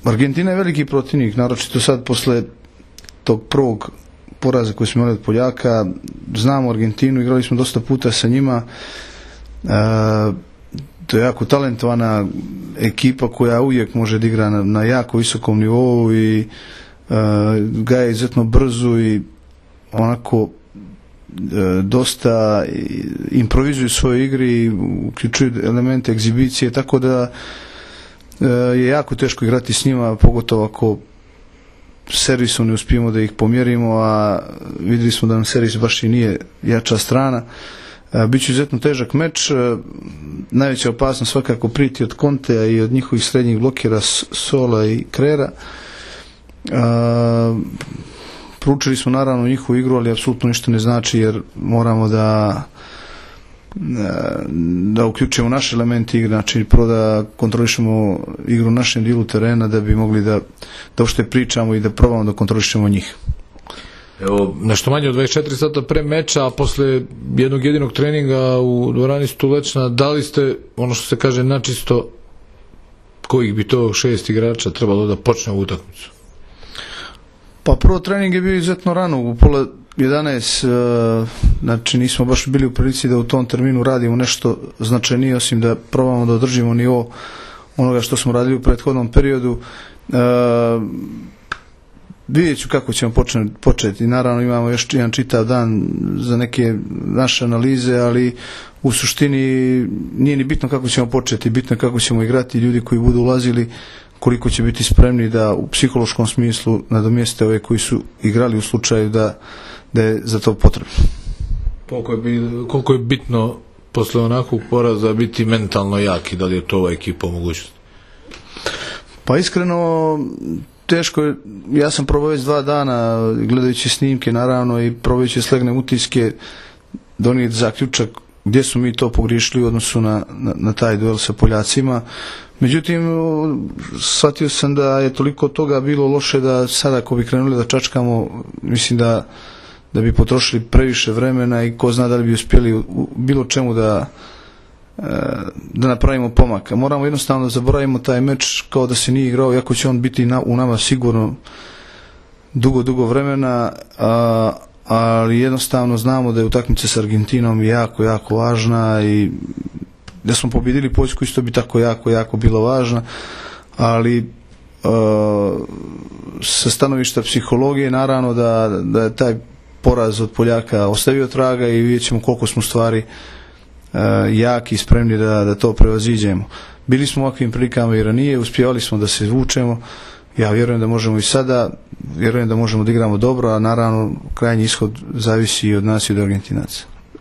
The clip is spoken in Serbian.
Argentina je veliki protivnik, naročito sad posle tog prvog poraza koji smo imali od Poljaka. Znamo Argentinu, igrali smo dosta puta sa njima. To je jako talentovana ekipa koja uvijek može da igra na jako visokom nivou i gaje izuzetno brzo i onako dosta improvizuju u svojoj igri, uključuju elemente egzibicije, tako da je jako teško igrati s njima, pogotovo ako servisom ne uspijemo da ih pomjerimo, a vidjeli smo da nam servis baš i nije jača strana. Biće izuzetno težak meč. Najveća opasnost svakako priti od Contea i od njihovih srednjih blokera Sola i Krera. Proučili smo naravno njihovu igru, ali apsolutno ništa ne znači, jer moramo da uključimo naše elemente igre, znači prvo da kontrolišemo igru na našem dijelu terena da bi mogli da uopšte pričamo i da probamo da kontrolišemo njih. Evo, nešto manje od 24 sata pre meča, a posle jednog jedinog treninga u dvorani Stulečna, da li ste, ono što se kaže načisto, kojih bi to 6 igrača trebalo da počne ovu utakmicu? Pa prvo trening je bio izuzetno rano, u pola 11, znači nismo baš bili u prilici da u tom terminu radimo nešto značajnije, osim da probamo da održimo nivo onoga što smo radili u prethodnom periodu. Vidjet ću kako ćemo početi. Naravno imamo još jedan čitav dan za neke naše analize, ali u suštini nije ni bitno kako ćemo početi, bitno je kako ćemo igrati. Ljudi koji budu ulazili, koliko će biti spremni da u psihološkom smislu nadomjeste ove koji su igrali u slučaju da je za to potrebno. Koliko je bitno posle onakvog poraza biti mentalno jak i da li je to ova ekipa mogućnost? Pa iskreno teško je. Ja sam probao već 2 dana gledajući snimke naravno i probajući slegne utiske donijeti zaključak gdje smo mi to pogriješili u odnosu na taj duel sa Poljacima. Međutim, shvatio sam da je toliko toga bilo loše da sada ako bi krenuli da čačkamo, mislim da bi potrošili previše vremena i ko zna da li bi uspjeli u bilo čemu da napravimo pomaka. Moramo jednostavno da zaboravimo taj meč kao da se nije igrao, iako će on biti u nama sigurno dugo vremena, ali jednostavno znamo da je utakmica s Argentinom jako važna i da smo pobjedili Poljsku isto bi tako jako bilo važna, ali sa stanovišta psihologije naravno da je taj poraz od Poljaka ostavio traga i vidjet ćemo koliko smo stvari jaki i spremni da to prevaziđemo. Bili smo u ovakvim prilikama i ranije, uspjevali smo da se vučemo. Ja vjerujem da možemo i sada, vjerujem da možemo da igramo dobro, a naravno krajnji ishod zavisi i od nas i od Argentinaca.